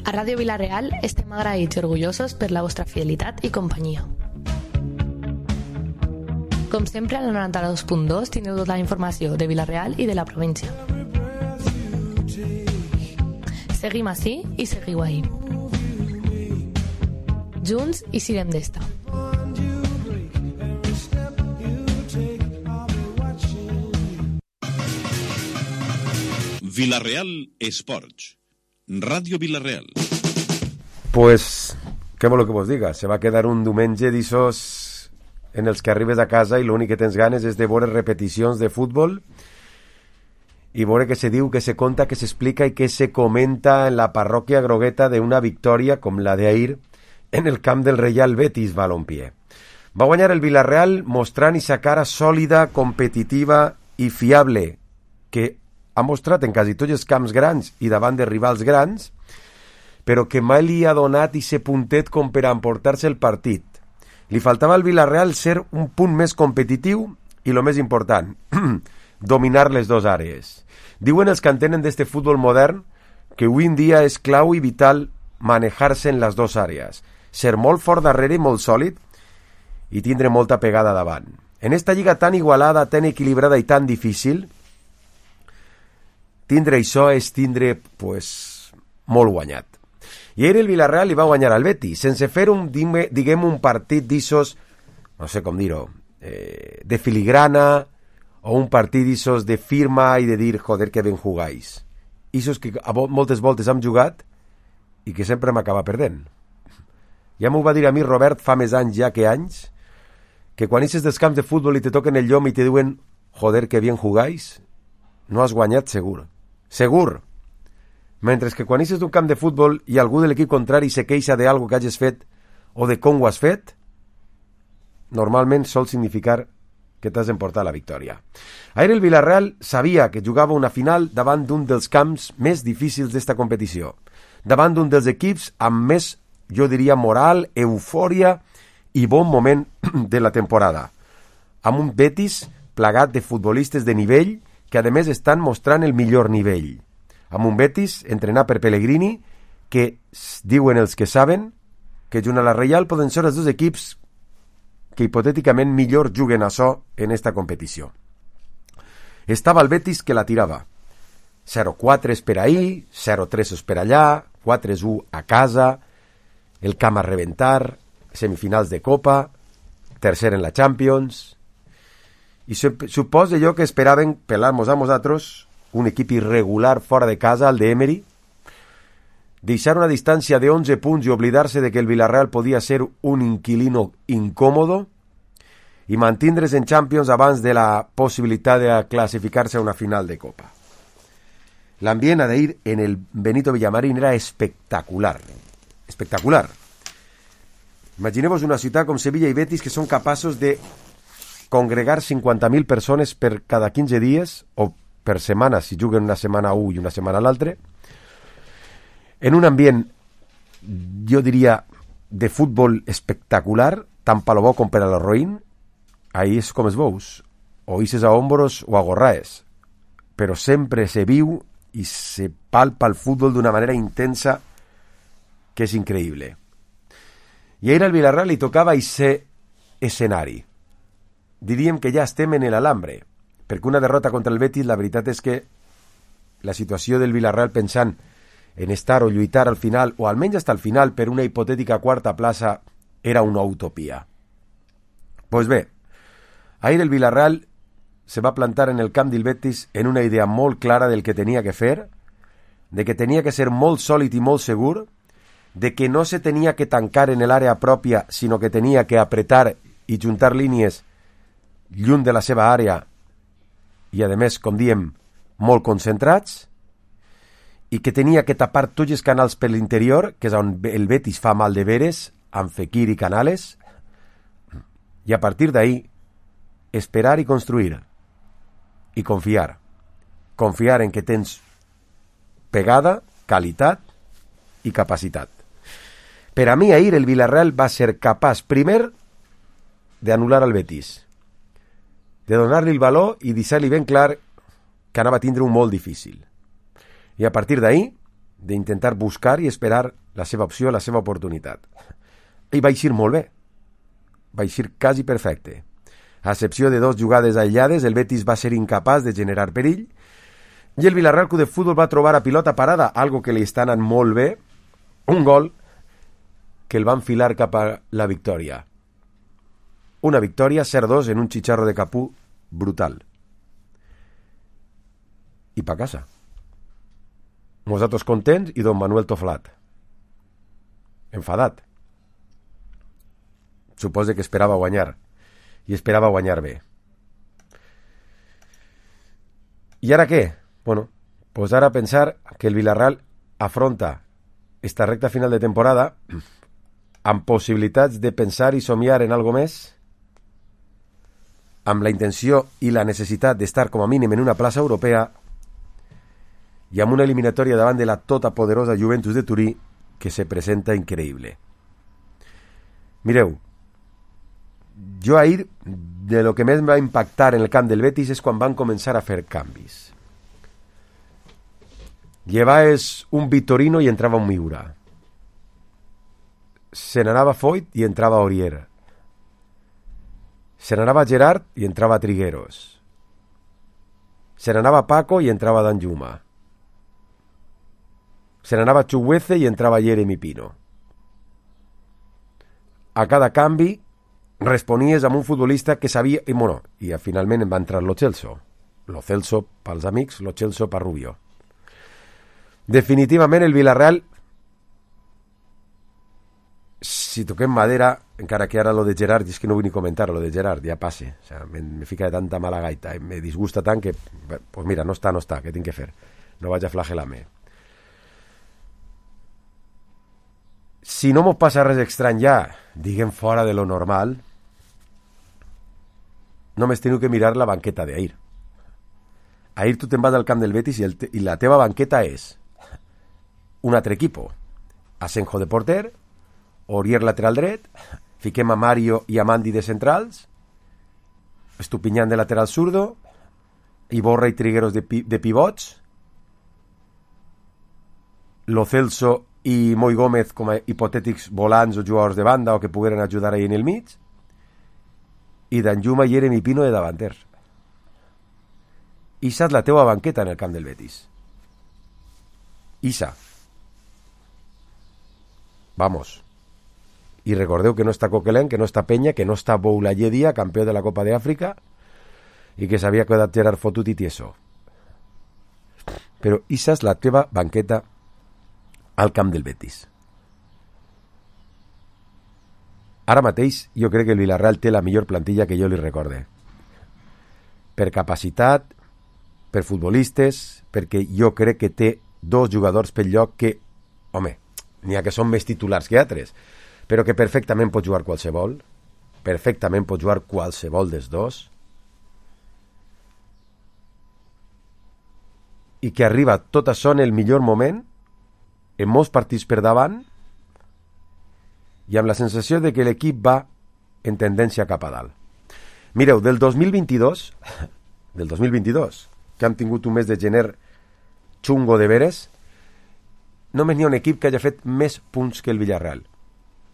A Ràdio Vila-real estem agraïts i orgullosos per la vostra fidelitat i companyia. Com sempre, al 92.2 teniu tota la informació de Vila-real i de la província. Seguim ací i seguiu ahí. Junts i sirem d'esta. Vila-real Esports. Ràdio Vila-real. Pues, què voleu que vos diga? Se va quedar un diumenge d'issos en els que arribes a casa i l'únic que tens ganes és de veure repeticions de futbol i veure què se diu, què se conta, què s'explica i què se comenta en la parròquia grogueta d'una victòria com la d'ahir en el camp del Real Betis Balompié. Va guanyar el Vila-real mostrant esa cara sòlida, competitiva i fiable que ha mostrat en quasi tots els camps grans i davant de rivals grans, però que mai li ha donat ese puntet com per a emportar-se el partit. Li faltava al Vila-real ser un punt més competitiu i, el més important, dominar les dues àrees. Diuen els que entenen d'este futbol modern que avui en dia és clau i vital manejar-se en les dues àrees, ser molt fort darrere i molt sòlid i tindre molta pegada davant. En esta lliga tan igualada, tan equilibrada i tan difícil, tindre això és tindre, pues, molt guanyat. I ahir el Vila-real li va guanyar al Betis, sense fer diguem, un partit d'issos, no sé com dir-ho, de filigrana, o un partit d'issos de firma i de dir, joder, que ben jugáis. Issos que moltes voltes hem jugat i que sempre m'acaba perdent. Ja m'ho va dir a mi Robert fa més anys ja que anys, que quan ixes dels camps de futbol i te toquen el llom i te diuen, joder, que bien jugáis, no has guanyat segur. Segur. Mentre que quan ixes d'un camp de futbol i algú de l'equip contrari se queixa d'algo que hagis fet o de com ho has fet, normalment sol significar que t'has d'emportar la victòria. Ahir el Vila-real sabia que jugava una final davant d'un dels camps més difícils d'esta competició, davant d'un dels equips amb més, jo diria, moral, eufòria i bon moment de la temporada, amb un Betis plagat de futbolistes de nivell que a més estan mostrant el millor nivell, amb un Betis entrenat per Pellegrini que diuen els que saben que junt a la Reial poden ser els dos equips que hipotèticament millor juguen a so en esta competició. Estava el Betis que la tirava 0-4 per ahir, 0-3 per allà, 4-1 a casa, el camp a reventar, semifinals de Copa, tercer en la Champions. I suposo jo que esperaven pelar-nos a nosaltres un equip irregular fora de casa, el de Emery, deixar una distància de 11 punts i oblidar-se de que el Vila-real podia ser un inquilino incòmodo i mantindre's en Champions abans de la possibilitat de classificar-se a una final de Copa. L'ambient d'ahir en el Benito Villamarín era espectacular. Espectacular. Imagineu-vos una ciutat com Sevilla i Betis que són capaços de congregar 50.000 persones per cada 15 dies o per setmana, si juguen una setmana un i una setmana l'altre, en un ambient, jo diria, de futbol espectacular, tant per lo bo com per a lo roïn. Ahí és com es veus, o ixes a hombros o a gorraes, però sempre se viu i se palpa el futbol d'una manera intensa que és increïble. I ahir al Vila-real li tocava aquest escenari. Diríem que ja estem en l'Alambre, perquè una derrota contra el Betis, la veritat és que la situació del Vila-real pensant en estar o lluitar al final, o almenys hasta el final, per una hipotètica quarta plaça, era una utopia. Pues bé, ahir el Vila-real se va plantar en el camp del Betis en una idea molt clara del que tenia que fer, de que tenia que ser molt sòlid i molt segur, de que no se tenia que tancar en l'àrea pròpia, sinó que tenia que apretar i juntar línies lluny de la seva àrea i, a més, com diem, molt concentrats, i que tenia que tapar tots els canals per l'interior, que és on el Betis fa mal de veres, amb Fekir i Canales, i a partir d'ahí esperar i construir, i confiar. Confiar en que tens pegada, qualitat i capacitat. Per a mi, ahir el Vila-real va ser capaç, primer, d'anul·lar al Betis, de donar-li el valor i deixar-li ben clar que anava a tindre un molt difícil. I a partir d'ahí, d'intentar buscar i esperar la seva opció, la seva oportunitat. I va eixir molt bé. Va eixir quasi perfecte. A excepció de 2 jugades aïllades, el Betis va ser incapaç de generar perill i el Villarreal Club de Futbol va trobar a pilota parada, algo que li està anant molt bé, un gol que el va enfilar cap a la victòria. Una victòria 0-2 en un chicharro de Capú brutal. I pa casa. Nosaltres contents i don Manuel toflat. Enfadat. Suposa que esperava guanyar. I esperava guanyar bé. I ara què? Bueno, pues ara pensar que el Villarreal afronta esta recta final de temporada amb possibilitats de pensar i somiar en algo més, amb la intenció i la necessitat d'estar com a mínim en una plaça europea i amb una eliminatòria davant de la tota poderosa Juventus de Turí que se presenta increïble. Mireu, jo ahir de lo que més va impactar en el camp del Betis és quan van començar a fer canvis. Llevaves un Vitorino i entrava un Miura. Se n'anava Foyt i entrava Aurier. Se n'anava Gerard i entrava Trigueros. Se n'anava Paco i entrava Danjuma. Se n'anava Chukwueze i entrava Jeremy Pino. A cada canvi responies amb un futbolista que sabia... I finalment va entrar Lo Celso. Lo Celso pels amics, Lo Celso per Rubio. Definitivament el Villarreal, si toquem madera, encara que ara lo de Gerard, és que no vull ni comentar lo de Gerard, ja passe, o sea, me fica de tanta mala gaita, me disgusta tant que, pues mira, no està, què tinc que fer? No vaig a flagelar-me. Si no mos passa res estrany ja, diguem fora de lo normal, només teniu que mirar la banqueta d'ahir. Ahir tu te'n vas al camp del Betis i la teva banqueta és un altre equipo. Asenjo de porter, Aurier lateral dret, fiquem a Mario i a Mandi de centrals, Estupiñán de lateral zurdo, Iborra i Trigueros de pivots, Lo Celso i Moi Gómez com a hipotètics volants o jugadors de banda o que pogueren ajudar ahí en el mig, i Danjuma i Jeremy Pino de davanters. Issa és la teua banqueta en el camp del Betis. Issa. Vamos. I recordeu que no està Coquelin, que no està Peña, que no està Boulaye Dia, campió de la Copa de Àfrica, i que s'havia quedat Gerard fotut i tieso. Però issa és la teva banqueta al camp del Betis. Ara mateix jo crec que el Villarreal té la millor plantilla que jo li recorde. Per capacitat, per futbolistes, perquè jo crec que té 2 jugadors pel lloc que, home, n'hi ha que són més titulars que altres, però que perfectament pot jugar qualsevol, dels 2, i que arriba tot això en el millor moment, en molts partits per davant, i amb la sensació de que l'equip va en tendència cap a dalt. Mireu, del 2022, que han tingut un mes de gener xungo de veres, només n'hi ha un equip que hagi fet més punts que el Villarreal,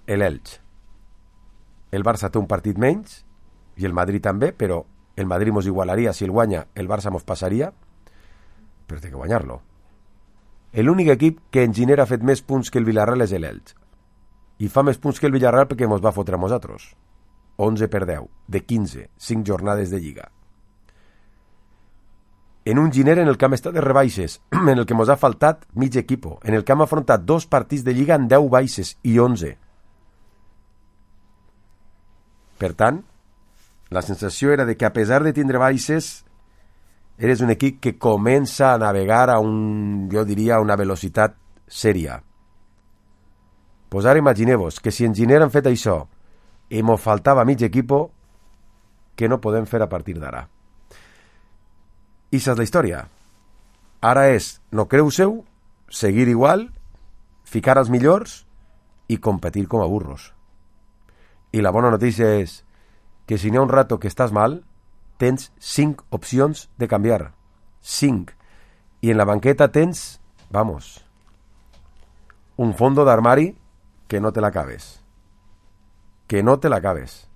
l'Elx. El Barça té un partit menys, i el Madrid també, però el Madrid mos igualaria, si el guanya, el Barça mos passaria, però té que guanyar-lo. L'únic equip que en gener ha fet més punts que el Villarreal és l'Elx. I fa més punts que el Villarreal perquè mos va fotre a nosaltres. 11-10, de 15, 5 jornades de Lliga. En un gener en el que hem estat de rebaixes, en el que mos ha faltat mig equipo, en el que hem afrontat 2 partits de Lliga en 10 baixes i 11. Per tant, la sensació era de que a pesar de tindre baixes, eres un equip que comença a navegar a jo diria, una velocitat sèria. Pues ara imagineu-vos que si en gener han fet això i mos faltava mig equipo, què no podem fer a partir d'ara? I és la història. Ara és, no creu-seu, seguir igual, ficar els millors i competir com a burros. I la bona notícia és que si n'hi ha un rato que estàs mal, tens 5 opcions de canviar. 5. I en la banqueta tens, vamos, un fondo d'armari que no te l'acabes. Que no te l'acabes.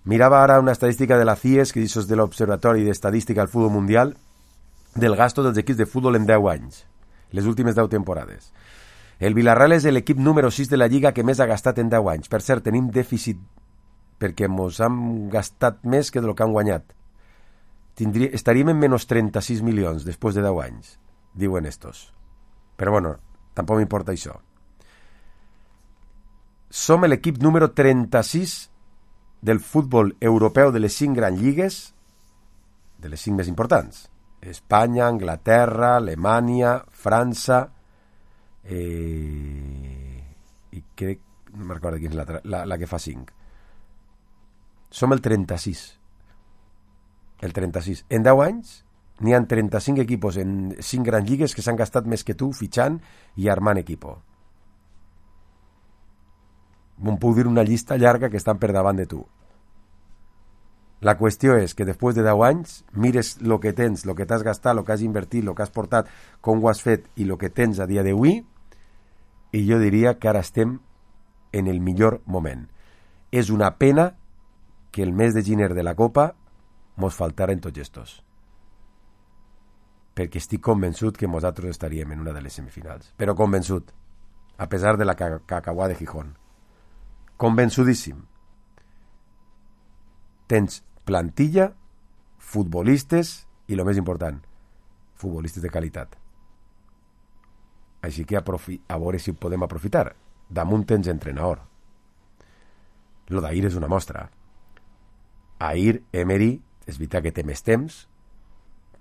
Miraba ara una estadística de la CIES, que és de l'Observatori d'Estadística al Futbol Mundial, del gasto dels equips de futbol en 10 anys, les últimes 10 temporades. El Villarreal és l'equip número 6 de la Lliga que més ha gastat en 10 anys. Per cert, tenim dèficit perquè mos hem gastat més que del que han guanyat. Estaríem en menys 36 milions després de 10 anys, diuen estos. Però bueno, tampoc m'importa això. Som l'equip número 36 del futbol europeu de les 5 grans lligues, de les 5 més importants. Espanya, Anglaterra, Alemanya, França, i crec, no me'n recordo quina és la que fa 5. Som el 36. El 36. En 10 anys n'hi ha 35 equipos en 5 grans lligues que s'han gastat més que tu fitxant i armant equipo. Em puc dir una llista llarga que estan per davant de tu. La qüestió és que després de 10 anys mires el que tens, el que t'has gastat, el que has invertit, el que has portat, com ho has fet i el que tens a dia d'avui, i jo diria que ara estem en el millor moment. És una pena que el mes de gener de la Copa mos faltaren tots estos. Perquè estic convençut que nosaltres estaríem en una de les semifinals. Però convençut, a pesar de la cacauà de Gijón. Convençudíssim. Tens plantilla, futbolistes i, el més important, futbolistes de qualitat. Així que a veure si ho podem aprofitar. Damunt tens entrenador. Lo d'ahir és una mostra. Ahir, Emery, és veritat que té més temps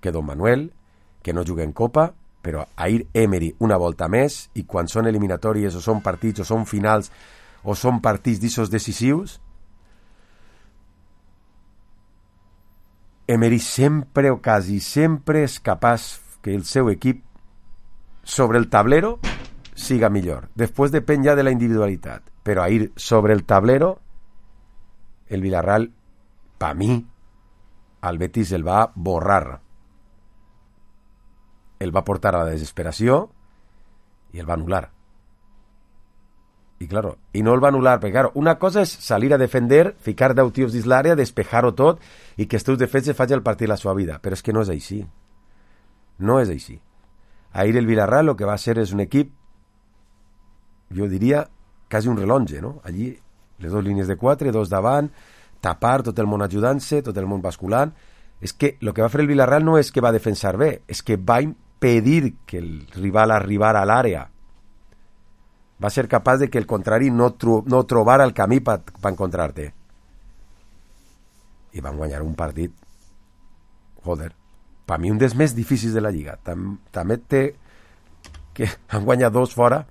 que Don Manuel, que no juga en Copa, però ahir Emery una volta més, i quan són eliminatòries o són partits o són finals o són partits d'issos decisius, Emery sempre o quasi sempre és capaç que el seu equip sobre el tablero siga millor. Després depèn ja de la individualitat. Però ahir sobre el tablero el Villarreal, per mi, al Betis el va borrar. El va portar a la desesperació i el va anul·lar. I claro, i no el va anul·lar, perquè claro, una cosa és salir a defender, ficar 10 tios dins l'àrea, despejar-ho tot i que els teus defenses facin el partit de la seva vida. Però és que no és així. No és així. Ahir el Villarreal el que va ser és un equip, jo diria, quasi un relonge, no? Allí, les dues línies de 4, 2 davant, tapar, tot el món ajudant-se, tot el món basculant. És que el que va fer el Villarreal no és que va defensar bé, és que va impedir que el rival arribara a l'àrea. Va ser capaç de que el contrari no trobara el camí per encontrar-te. I van guanyar un partit, joder, per mi un dels més difícils de la Lliga. També té que han guanyat 2 fora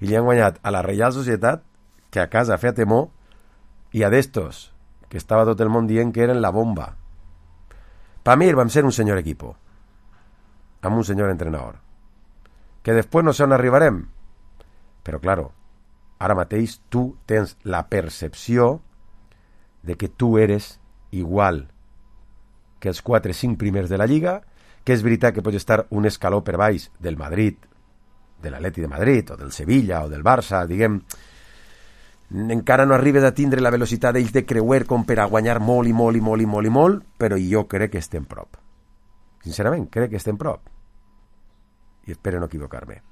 i li han guanyat a la Reial Societat, que a casa feia temor, i a d'estos, que estava tot el món dient que eren la bomba. Per mi vam ser un senyor equipo, amb un senyor entrenador. Que després no sé on arribarem, però, claro, ara mateix tu tens la percepció de que tu eres igual que els 4-5 primers de la Lliga, que és veritat que pots estar un escaló per baix del Madrid, de l'Atleti de Madrid, o del Sevilla, o del Barça, diguem, encara no arribes a tindre la velocitat d'ells de creuer com per a guanyar molt i molt i molt i molt i molt, però jo crec que estem prop. Sincerament, crec que estem prop. I espero no equivocar-me.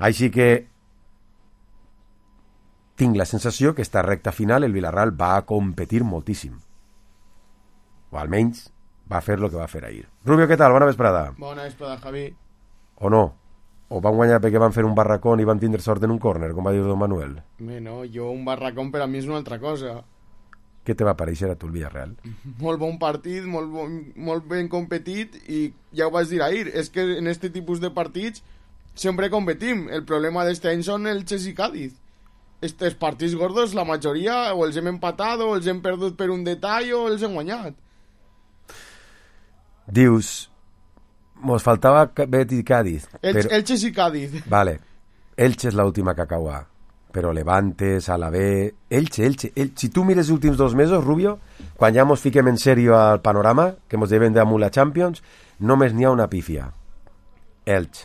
Així que tinc la sensació que esta recta final el Villarreal va a competir moltíssim. O almenys va fer el que va fer ahir. Rubio, què tal? Bona vesprada. Bona vesprada, Javi. O no? O van guanyar perquè van fer un barracón i van tindre sort en un córner, com va dir Don Manuel? No, jo un barracón per a mi és una altra cosa. Què te va pareixer a tu el Villarreal? Molt bon partit, molt ben competit, i ja ho vaig dir ahir, és que en este tipus de partits sempre competim. El problema d'este any són el Chelsea i Cádiz. Estes partits gordos, la majoria o els hem empatat o els hem perdut per un detall o els hem guanyat. Dius, mos faltava Betis i Cádiz. Elche i Cádiz. Vale, Elche és l'última cacauà, però Levantes, Alavés, Elche. Si tu mires els últims 2 mesos, Rubio, quan ja mos fiquem en sèrio al panorama, que mos devem damunt la Champions, només n'hi ha una pífia. Elche.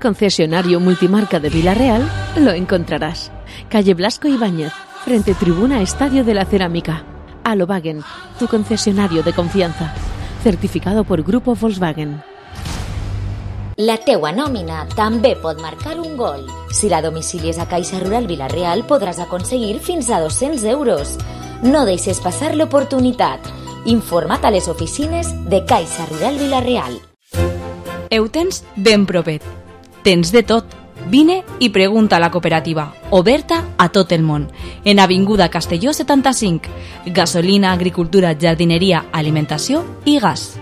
Concesionario multimarca de Vila-real, lo encontrarás. Calle Blasco Ibáñez, frente Tribuna Estadio de la Cerámica. Alowagen, tu concesionario de confianza. Certificado por Grupo Volkswagen. La teua nòmina també pot marcar un gol. Si la domicilies a Caixa Rural Vila-real podràs aconseguir fins a 200 euros. No deixes passar l'oportunitat. Informa't a les oficines de Caixa Rural Vila-real. Ho tens ben propet. Tens de tot. Vine i pregunta a la cooperativa, oberta a tot el món. En Avinguda Castelló 75. Gasolina, agricultura, jardineria, alimentació i gas.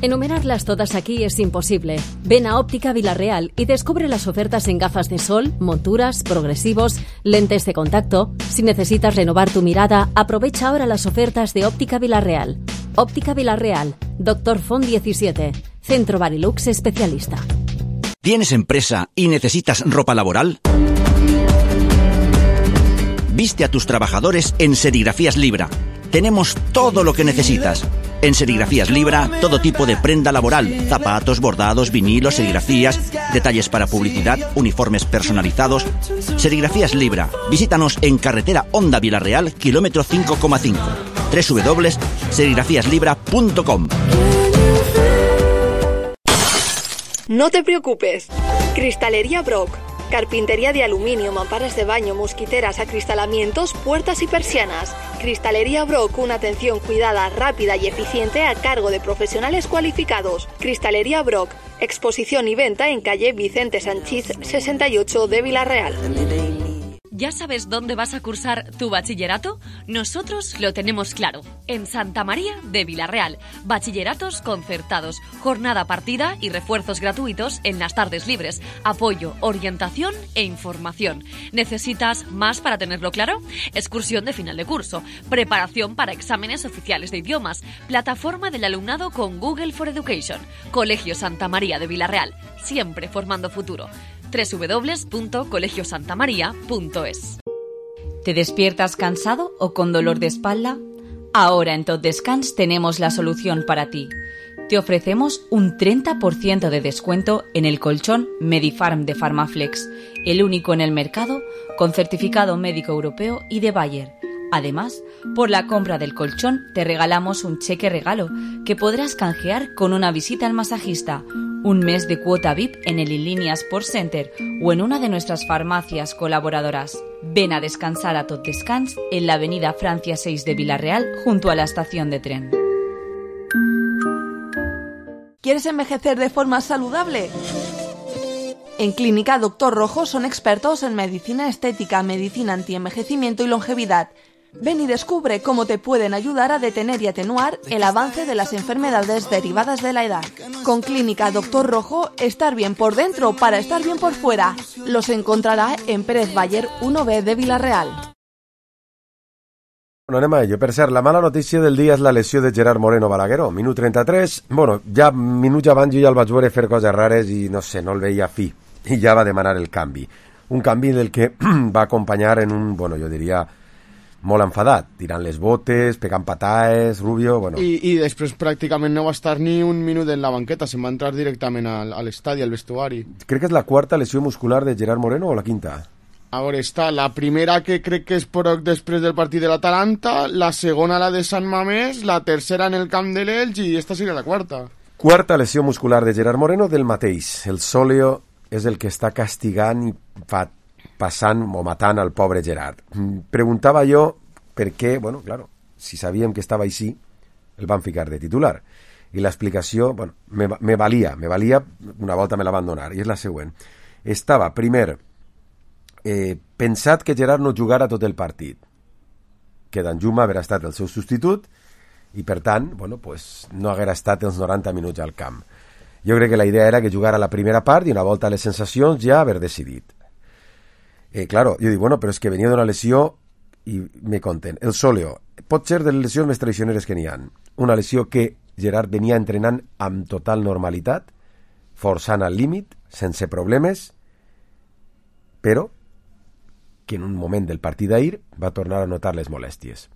Enumerarlas todas aquí es imposible. Ven a Óptica Vila-real y descubre las ofertas en gafas de sol, monturas, progresivos, lentes de contacto. Si necesitas renovar tu mirada, aprovecha ahora las ofertas de Óptica Vila-real. Óptica Vila-real, Dr. Font 17, Centro Barilux Especialista. ¿Tienes empresa y necesitas ropa laboral? Viste a tus trabajadores en Serigrafías Libra. Tenemos todo lo que necesitas. En Serigrafías Libra, todo tipo de prenda laboral, zapatos, bordados, vinilos, serigrafías, detalles para publicidad, uniformes personalizados. Serigrafías Libra. Visítanos en carretera Honda Vila-real, kilómetro 5,5. www.serigrafiaslibra.com. No te preocupes. Cristalería Brock. Carpintería de aluminio, mamparas de baño, mosquiteras, acristalamientos, puertas y persianas. Cristalería Brock, una atención cuidada, rápida y eficiente a cargo de profesionales cualificados. Cristalería Brock, exposición y venta en calle Vicente Sanchís 68 de Vila-real. ¿Ya sabes dónde vas a cursar tu bachillerato? Nosotros lo tenemos claro. En Santa María de Vila-real. Bachilleratos concertados, jornada partida y refuerzos gratuitos en las tardes libres. Apoyo, orientación e información. ¿Necesitas más para tenerlo claro? Excursión de final de curso. Preparación para exámenes oficiales de idiomas. Plataforma del alumnado con Google for Education. Colegio Santa María de Vila-real. Siempre formando futuro. www.colegiosantamaria.es. ¿Te despiertas cansado o con dolor de espalda? Ahora en Tot Descans tenemos la solución para ti. Te ofrecemos un 30% de descuento en el colchón Medifarm de Farmaflex, el único en el mercado con certificado médico europeo y de Bayer. Además, por la compra del colchón te regalamos un cheque regalo que podrás canjear con una visita al masajista, un mes de cuota VIP en el Inlínea Sport Center o en una de nuestras farmacias colaboradoras. Ven a descansar a Tot Descans en la avenida Francia 6 de Vila-real junto a la estación de tren. ¿Quieres envejecer de forma saludable? En Clínica Dr. Rojo son expertos en medicina estética, medicina antienvejecimiento y longevidad. Ven y descubre cómo te pueden ayudar a detener y atenuar el avance de las enfermedades derivadas de la edad. Con Clínica Dr. Rojo, estar bien por dentro para estar bien por fuera. Los encontrará en Pérez Bayer 1B de Vila-real. Bueno, anem a ello. Per cert, la mala notícia del dia és la lesió de Gerard Moreno Balagueró. Minut 33. Bueno, ja minuts abans jo ja el vaig veure fer coses rares i no sé, no el veia fi. I ja va demanar el canvi. Un canvi del que va acompanyar en un, bueno, jo diria, molt enfadat, tirant les botes, pegant pataes, Rubio, bueno... I després pràcticament no va estar ni un minut en la banqueta, se'n va entrar directament a l'estadi, al vestuari. Crec que és la quarta lesió muscular de Gerard Moreno o la quinta? A veure, està la primera que crec que és poc després del partit de l'Atalanta, la segona la de Sant Mamés, la tercera en el camp de l'Elx i esta seria la quarta. Quarta lesió muscular de Gerard Moreno del mateix. El sòleo és el que està castigant i passant o matant al pobre Gerard. Preguntava jo per què, bueno, claro, si sabíem que estava així, el van ficar de titular. I l'explicació, bueno, me valia, una volta me la van donar, i és la següent. Estava, primer, pensat que Gerard no jugara tot el partit, que Danjuma haguera estat el seu substitut, i per tant, bueno, pues, no haguera estat els 90 minuts al camp. Jo crec que la idea era que jugara la primera part i una volta a les sensacions ja haver decidit. Claro, jo dic, bueno, però és que venia d'una lesió i me conten. El sòleo pot ser de les lesions més traicioneres que n'hi ha. Una lesió que Gerard venia entrenant amb total normalitat, forçant al límit, sense problemes, però que en un moment del partit d'ahir va tornar a notar les molèsties.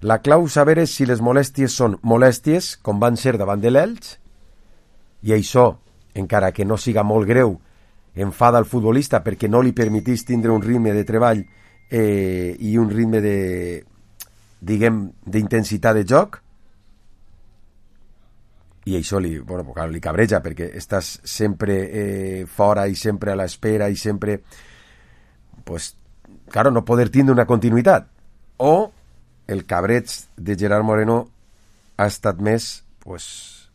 La clau saber és si les molèsties són molèsties, com van ser davant de l'Elx, i això encara que no siga molt greu, enfada el futbolista perquè no li permetís tindre un ritme de treball i un ritme de, diguem, d'intensitat de joc, i això li cabreja perquè estàs sempre fora i sempre a l'espera i sempre, pues, claro, no poder tindre una continuïtat. O el cabreig de Gerard Moreno ha estat més, pues,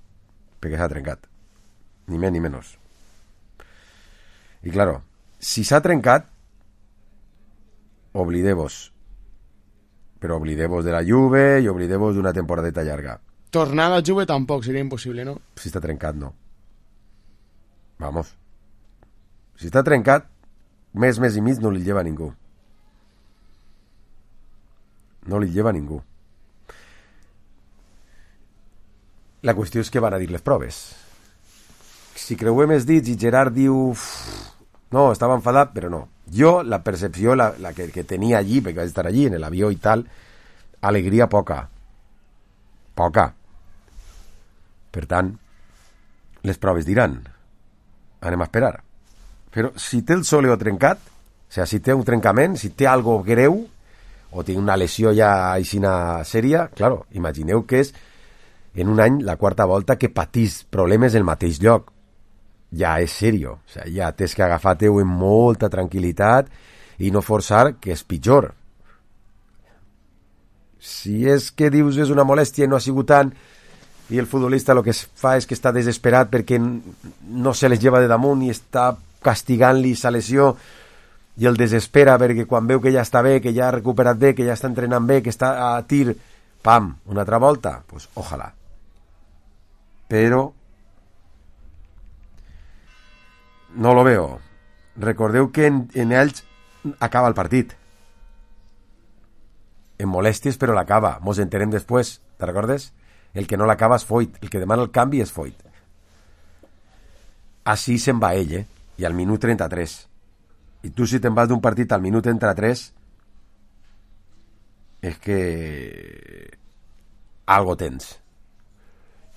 perquè s'ha trencat, ni més ni menys. I claro, si s'ha trencat, oblideu-vos, però oblideu-vos de la Juve i oblideu-vos d'una temporadeta llarga. Tornar a la Juve tampoc seria impossible, no? Si està trencat, no. Vamos. Si està trencat, mes i mig no li lleva ningú. No li lleva ningú. La qüestió és que van a dir les proves. Si creuem els dits i Gerard diu no, estava enfadat, però no. Jo, la percepció la que tenia allí, perquè vaig estar allí en l'avió i tal, alegria poca. Per tant, les proves diran. Anem a esperar. Però si té el sòleo trencat, o sigui, si té un trencament, si té algo greu, o té una lesió ja aixina sèria, claro, imagineu que és en un any la quarta volta que patís problemes en el mateix lloc. Ja és serio. O sigui, ja tens que agafar-te-ho amb molta tranquil·litat i no forçar, que és pitjor. Si és que dius és una molèstia i no ha sigut tant, i el futbolista el que fa és que està desesperat perquè no se les lleva de damunt i està castigant-li sa lesió i el desespera perquè quan veu que ja està bé, que ja ha recuperat bé, que ja està entrenant bé, que està a tir, pam, una altra volta, pues ojalà. Però no lo veo. Recordeu que en ells acaba el partit. En molèsties, però l'acaba. Mos entenem després, te recordes? El que no l'acaba és Foyt. El que demana el canvi és Foyt. Així se'n va ell, I al minut 33. I tu si te'n vas d'un partit al minut 33 és que algo tens.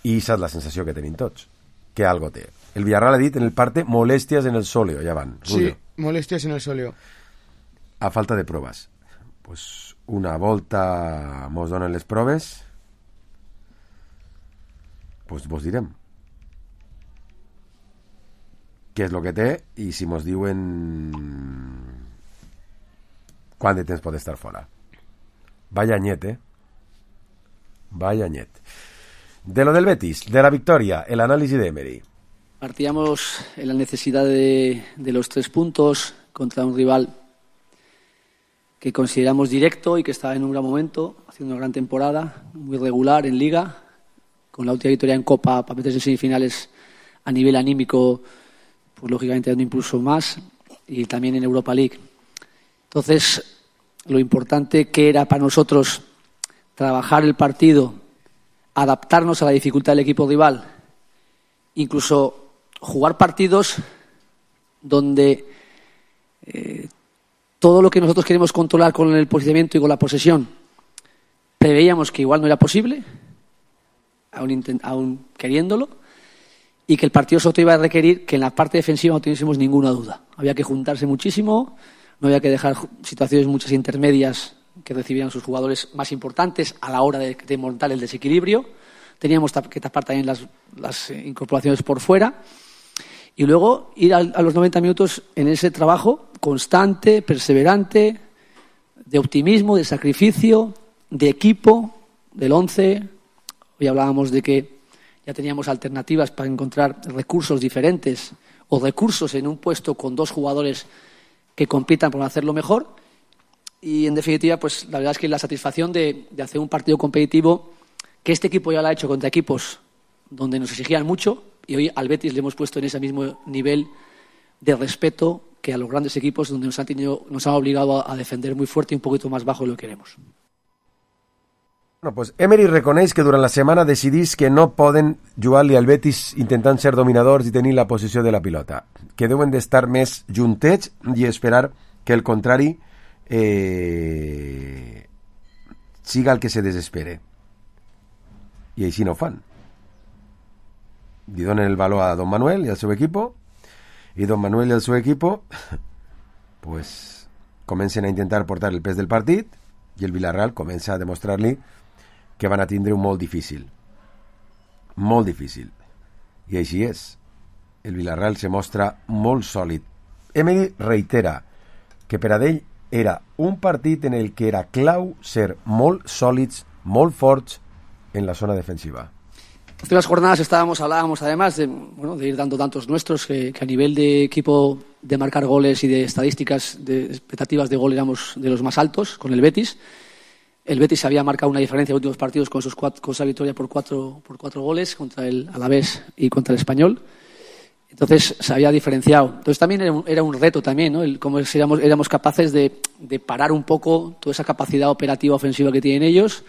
I aquesta és la sensació que tenim tots. Que algo té. El Villarreal ha dit en el parte molèsties en el sòleo, ja van. Sí, molèsties en el sòleo. A falta de proves. Pues una volta mos donen les proves, pues vos direm què és el que té i si mos diuen quant de temps pot estar fora. Vaya anyet, Vaya anyet. De lo del Betis, de la victoria, el análisis de Emery. Partíamos en la necesidad de los 3 puntos contra un rival que consideramos directo y que estaba en un gran momento, haciendo una gran temporada, muy regular en Liga, con la última victoria en Copa para meterse en semifinales a nivel anímico, pues lógicamente dando impulso más, y también en Europa League. Entonces, lo importante que era para nosotros trabajar el partido, adaptarnos a la dificultad del equipo rival, incluso jugar partidos donde todo lo que nosotros queremos controlar con el posicionamiento y con la posesión, preveíamos que igual no era posible, aún queriéndolo, y que el partido solo iba a requerir que en la parte defensiva no tuviésemos ninguna duda. Había que juntarse muchísimo, no había que dejar situaciones muchas intermedias que recibieran sus jugadores más importantes a la hora de montar el desequilibrio. Teníamos que tapar también las incorporaciones por fuera y luego ir a los 90 minutos en ese trabajo constante, perseverante, de optimismo, de sacrificio, de equipo, del 11. Hoy hablábamos de que ya teníamos alternativas para encontrar recursos diferentes o recursos en un puesto con 2 jugadores que compitan por hacerlo mejor. Y en definitiva, pues la verdad es que la satisfacción de hacer un partido competitivo, que este equipo ya lo ha hecho contra equipos donde nos exigían mucho, y hoy al Betis le hemos puesto en ese mismo nivel de respeto que a los grandes equipos donde nos han obligado a defender muy fuerte y un poquito más bajo de lo que queremos. Bueno, pues Emery reconeix que durant la setmana decidís que no poden jugar-li al Betis intentant ser dominadors i tenir la posició de la pilota, que deuen d'estar més juntets i esperar que el contrari siga el que se desespere. I així no ho fan. li donen el valor a Don Manuel i al seu equip, i Don Manuel i el seu equip pues, comencen a intentar portar el pes del partit i el Villarreal comença a demostrar-li que van a tindre un molt difícil, i així és. El Villarreal se mostra molt sòlid. Emery reitera que per a ell era un partit en el que era clau ser molt sòlids, molt forts en la zona defensiva. Hace unas jornadas hablábamos además de ir dando tantos nuestros que a nivel de equipo de marcar goles y de estadísticas, de expectativas de gol éramos de los más altos con el Betis. El Betis había marcado una diferencia en los últimos partidos con esa victoria por cuatro goles contra el Alavés y contra el Español. Entonces se había diferenciado. Entonces también era un reto también, ¿no? Cómo éramos capaces de parar un poco toda esa capacidad operativa ofensiva que tienen ellos,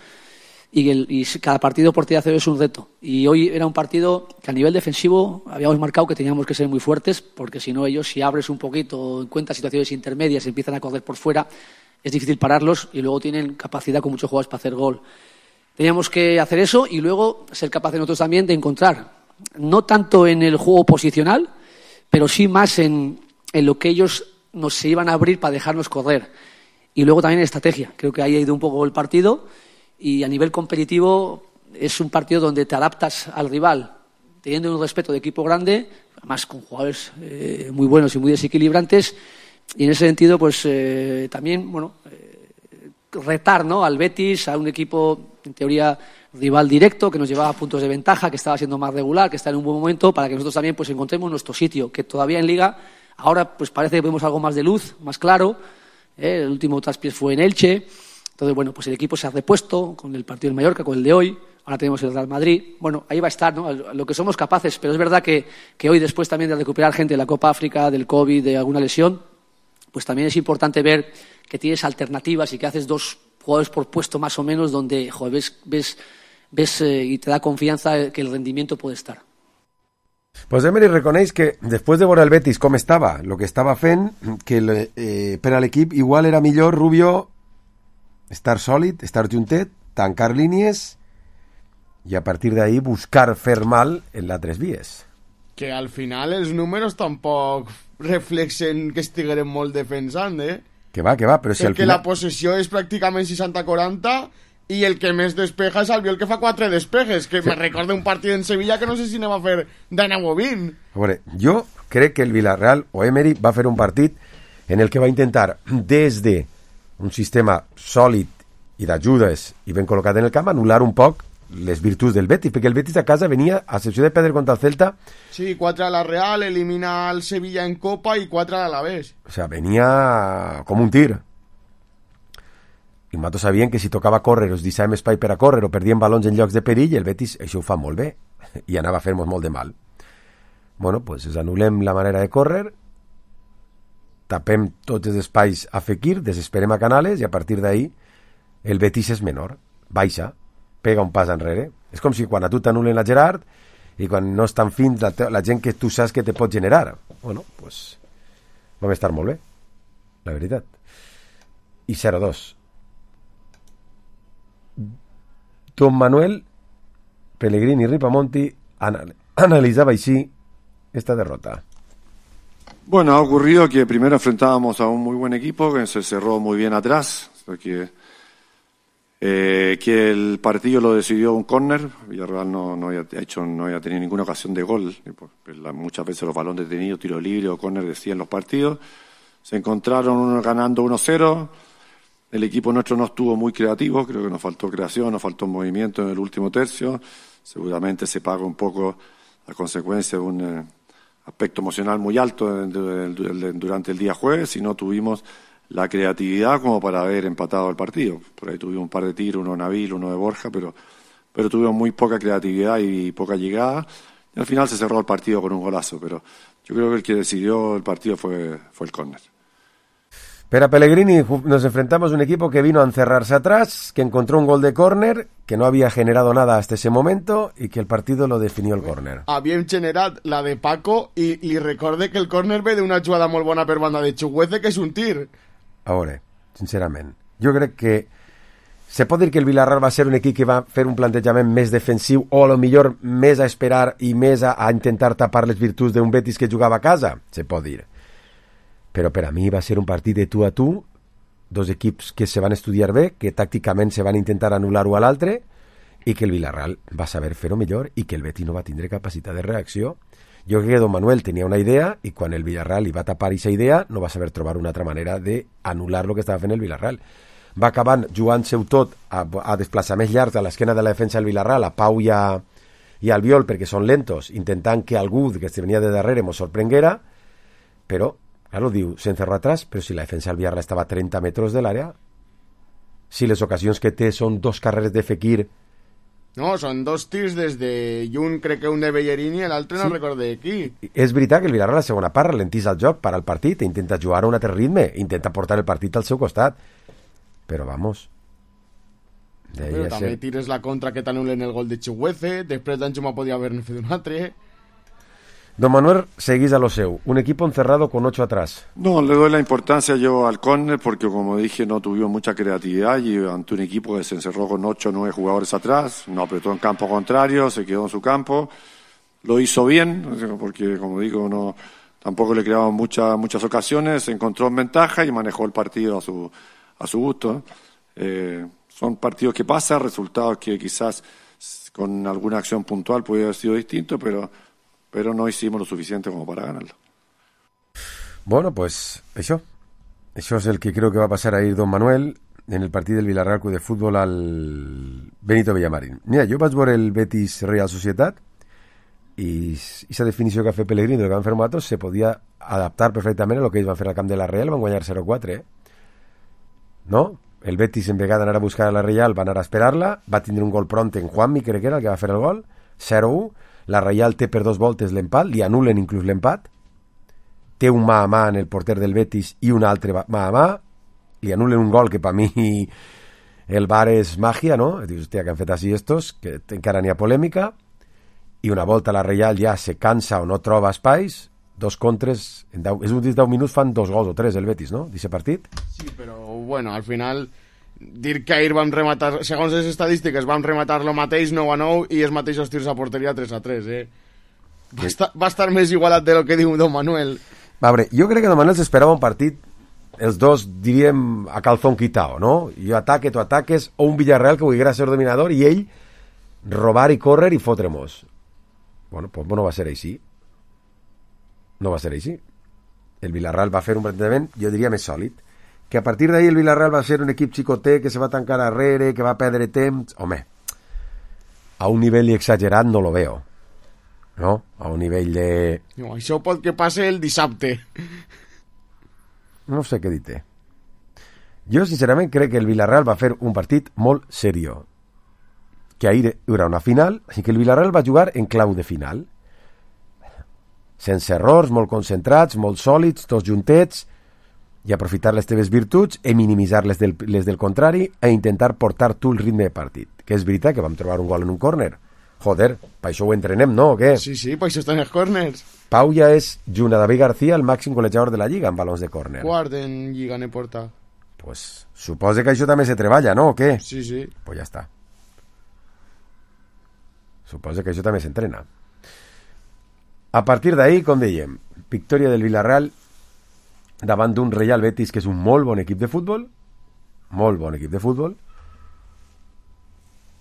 y cada partido por día es un reto. Y hoy era un partido que a nivel defensivo habíamos marcado que teníamos que ser muy fuertes, porque si no ellos, si abres un poquito, encuentras situaciones intermedias, empiezan a correr por fuera, es difícil pararlos y luego tienen capacidad con muchos jugadores para hacer gol. Teníamos que hacer eso y luego ser capaces nosotros también de encontrar, no tanto en el juego posicional, pero sí más en lo que ellos se iban a abrir para dejarnos correr. Y luego también en estrategia. Creo que ahí ha ido un poco el partido, y a nivel competitivo es un partido donde te adaptas al rival teniendo un respeto de equipo grande, además con jugadores muy buenos y muy desequilibrantes, y en ese sentido pues también retar, ¿no?, al Betis, a un equipo en teoría rival directo, que nos llevaba puntos de ventaja, que estaba siendo más regular, que está en un buen momento, para que nosotros también pues encontremos nuestro sitio, que todavía en Liga ahora pues parece que vemos algo más de luz, más claro. El último traspiés fue en Elche. Entonces, bueno, pues el equipo se ha repuesto con el partido del Mallorca, con el de hoy. Ahora tenemos el Real Madrid. Bueno, ahí va a estar, ¿no?, lo que somos capaces. Pero es verdad que hoy, después también de recuperar gente de la Copa África, del COVID, de alguna lesión, pues también es importante ver que tienes alternativas y que haces 2 jugadores por puesto más o menos, donde ves y te da confianza que el rendimiento puede estar. Pues Emery reconeix que després de veure el Betis com estava, el que estava fent, que per a l'equip igual era millor, Rubio, estar sòlid, estar juntet, tancar línies i a partir d'ahí buscar fer mal en les 3 vies. Que al final els números tampoc reflexen que estigueren molt defensant, Que va, però si al final... la possessió és pràcticament 60-40 i el que més despeja és Albiol, que fa 4 despejes, que me recorda un partit en Sevilla que no sé si anem a fer de 9 o 20. A veure, jo crec que el Villarreal o Emery va fer un partit en el que va intentar, des de un sistema sòlid i d'ajudes i ben col·locat en el camp, anul·lar un poc les virtuts del Betis, perquè el Betis a casa venia, a excepció de perdre contra el Celta... Sí, 4 a la Real, elimina al Sevilla en Copa i 4 a l'Alavés. O sea, venia com un tir. I nosaltres sabíem que si tocava córrer, us deixàvem espai per a córrer o perdíem balons en llocs de perill, el Betis això ho fa molt bé i anava a fer-nos molt de mal. Bueno, pues anul·lem la manera de córrer, tapem tots els espais a Fekir, desesperem a Canales i a partir d'ahí el Betis és menor, baixa, pega un pas enrere. És com si quan a tu t'anulen la Gerard i quan no estan fins la gent que tu saps que te pot generar. Bueno, pues vam estar molt bé, la veritat. I 0-2. Don Manuel Pellegrini Ripamonti analizaba així esta derrota. Bueno, ha ocurrido que primero enfrentábamos a un muy buen equipo que se cerró muy bien atrás, que el partido lo decidió un córner. Villarreal no había tenido ninguna ocasión de gol. Muchas veces los balones detenidos, tiro libre o córner decían los partidos. Se encontraron ganando 1-0. El equipo nuestro no estuvo muy creativo, creo que nos faltó creación, nos faltó movimiento en el último tercio. Seguramente se paga un poco a consecuencia de un aspecto emocional muy alto durante el día jueves y no tuvimos la creatividad como para haber empatado el partido. Por ahí tuvimos un par de tiros, uno de Nabil, uno de Borja, pero tuvimos muy poca creatividad y poca llegada. Y al final se cerró el partido con un golazo, pero yo creo que el que decidió el partido fue el córner. Pero a Pellegrini nos enfrentamos a un equipo que vino a encerrarse atrás, que encontró un gol de córner, que no había generado nada hasta ese momento y que el partido lo definió el córner. Havíem generat la de Paco i li recorde que el córner ve d'una jugada molt bona per banda de Chuguece, que és un tir. A veure, sincerament, jo crec que Se pot dir que el Villarreal va ser un equip que va fer un plantejament més defensiu o a lo millor més a esperar i més a intentar tapar les virtuts d'un Betis que jugava a casa? Se pot dir. Però per a mi va ser un partit de tu a tu, dos equips que se van estudiar bé, que tàcticament se van intentar anul·lar-ho a l'altre i que el Villarreal va saber fer-ho millor i que el Betis no va tindre capacitat de reacció. Jo crec que Don Manuel tenia una idea i quan el Villarreal li va tapar aquesta idea no va saber trobar una altra manera d'anul·lar lo que estava fent el Villarreal. Va acabant jugant-se-ho tot a desplaçaments llargs a l'esquena de la defensa del Villarreal, a Pau i a Albiol, perquè són lentos, intentant que algú que se venia de darrere mos sorprenguera, però, claro, diu, se encerró atrás, però si la defensa del Villarreal estava a 30 metres de l'àrea, si les ocasions que té són dos carreres de Fekir... No, són dos tirs des de... I un crec que un de Bellerín i l'altre no recordo de qui. És veritat que el Villarreal a la segona part ralentís el joc, para el partit, intenta jugar a un altre ritme, intenta portar el partit al seu costat. Però vamos... Però també tires la contra que t'anulen el gol de Chihueze, després d'Anxuma podia haver-ne fet un altre. Don Manuel, seguís a lo seu. Un equipo encerrado con 8 atrás. No, le doy la importancia yo al córner porque, como dije, no tuvimos mucha creatividad y ante un equipo que se encerró con 8 o 9 jugadores atrás, no apretó en campo contrario, se quedó en su campo, lo hizo bien, porque, como digo, no tampoco le creaban muchas ocasiones, se encontró en ventaja y manejó el partido a su gusto. Son partidos que pasan, resultados que quizás con alguna acción puntual podría haber sido distinto, pero no hicimos lo suficiente como para ganarlo. Bueno, pues això és el que creo que va a pasar ahir Don Manuel en el partit del Villarreal Club de Fútbol al Benito Villamarín. Mira, jo vaig veure el Betis Real Societat i aquesta definició que ha fet Pellegrini del que van fer nosaltres se podia adaptar perfectament a lo que ells van fer al camp de la Real, van guanyar 0-4, no? El Betis, en vegada d'anar a buscar a la Real, va anar a esperar-la, va tindre un gol pront en Juanmi, crec que era el que va fer el gol, 0-1, la Real té per 2 voltes l'empat, li anulen inclús l'empat, té un mà a mà en el porter del Betis i un altre mà a mà, li anulen un gol que per mi el VAR és màgia, no? Dius, hòstia, que han fet així estos, que encara n'hi ha polèmica, i una volta la Real ja se cansa o no troba espais, 2 contres, és un 10 minuts fan 2 gols o 3 el Betis, no? D'aquest partit. Sí, però bueno, al final dir que ahir vam rematar, segons les estadístiques vam rematar lo mateix 9-9 i els mateixos tirs a porteria 3-3, va estar més igualat de lo que diu Don Manuel. Va, veure, jo crec que Don Manuel s'esperava un partit, els dos diríem a calzón quitao, no? Jo ataque, tu ataques, o un Villarreal que volguera ser dominador i ell robar i córrer i fotre-mos. Bueno, pues no va ser així. No va ser així. El Villarreal va fer un plantejament, jo diria, més sòlid. Que a partir d'ahir el Villarreal va ser un equip xicoter que se va tancar darrere, que va perdre temps... Home, a un nivell exagerat no lo veo. No? A un nivell de... No, això pot que passe el dissabte. No sé què dir-te. Jo, sincerament, crec que el Villarreal va fer un partit molt seriós. Que ahir era una final, així que el Villarreal va jugar en clau de final. Sense errors, molt concentrats, molt sòlids, tots juntets, i aprofitar les teves virtuts i minimitzar les del contrari e intentar portar tu el ritme de partit. Que és veritat que vam trobar un gol en un córner. Joder, per això ho entrenem, no? O què? Sí, per això estan els córners. Pau ja és, junt a David García, el màxim golejador de la Lliga en balons de córner. Quart en Lliga ne porta. Pues suposa que això també se treballa, no? O què? Sí. Pues ja està. Suposa que això també s'entrena. A partir d'ahir, com dèiem, victòria del Villarreal davant d'un Real Betis que és un molt bon equip de futbol,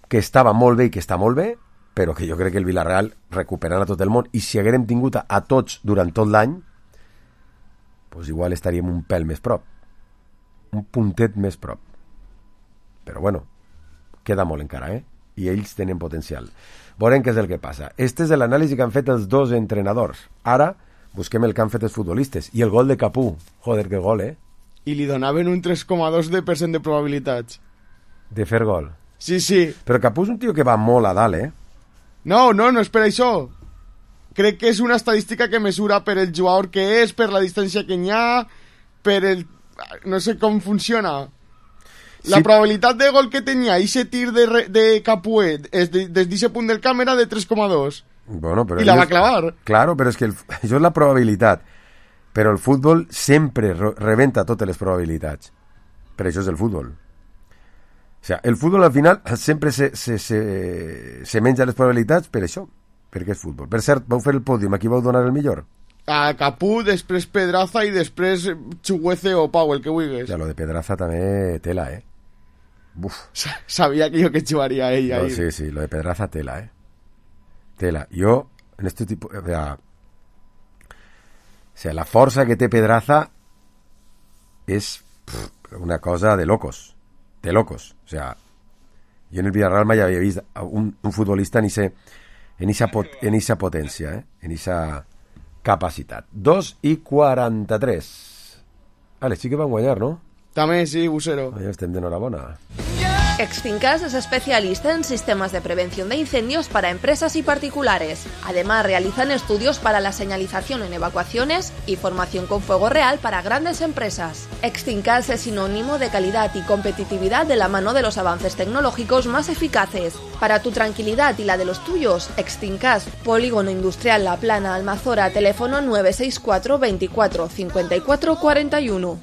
que estava molt bé i que està molt bé, però que jo crec que el Villarreal recuperant a tot el món, i si haguérem tingut a tots durant tot l'any, pues igual estaríem un pèl més prop, un puntet més prop. Però bueno, queda molt encara, i ells tenen potencial. Veurem què és el que passa. Este és l'anàlisi que han fet els dos entrenadors. Ara busquem el que han fet els futbolistes. I el gol de Capú. Joder, que gol, I li donaven un 3,2% de probabilitats. De fer gol. Sí. Però Capú és un tio que va molt a dalt, No és per això. Crec que és una estadística que mesura per el jugador que és, per la distància que n'hi ha, per el... No sé com funciona. La probabilitat de gol que tenia aquest tir de Capuet des d'aquest punt del camp era de 3,2. Bueno, però I la va clavar. Claro, però és que això és la probabilitat. Però el futbol sempre rebenta totes les probabilitats. Per això és el futbol. O sea, el futbol al final sempre se menja les probabilitats per això, perquè és futbol. Per cert, vau fer el pòdium, a qui vau donar el millor? A Capú, després Pedraza i després Chuguece o Pau, el que vulguis. Ja, lo de Pedraza també tela, Buf. Sabía que yo que chuvaría ella. No, sí, lo de Pedraza tela, Tela. Yo, en este tipo... O sea, la força que té Pedraza és una cosa de locos. De locos. O sea, yo en el Villarreal mai havia vist un futbolista en esa potència, en esa capacitat. 2:43. Vale, sí que van guanyar, no? També, sí, Busero. Ja estem d'enhorabona. Extincas es especialista en sistemas de prevención de incendios para empresas y particulares. Además, realizan estudios para la señalización en evacuaciones y formación con fuego real para grandes empresas. Extincas es sinónimo de calidad y competitividad de la mano de los avances tecnológicos más eficaces. Para tu tranquilidad y la de los tuyos, Extincas, Polígono Industrial La Plana, Almazora, teléfono 964 24 54 41.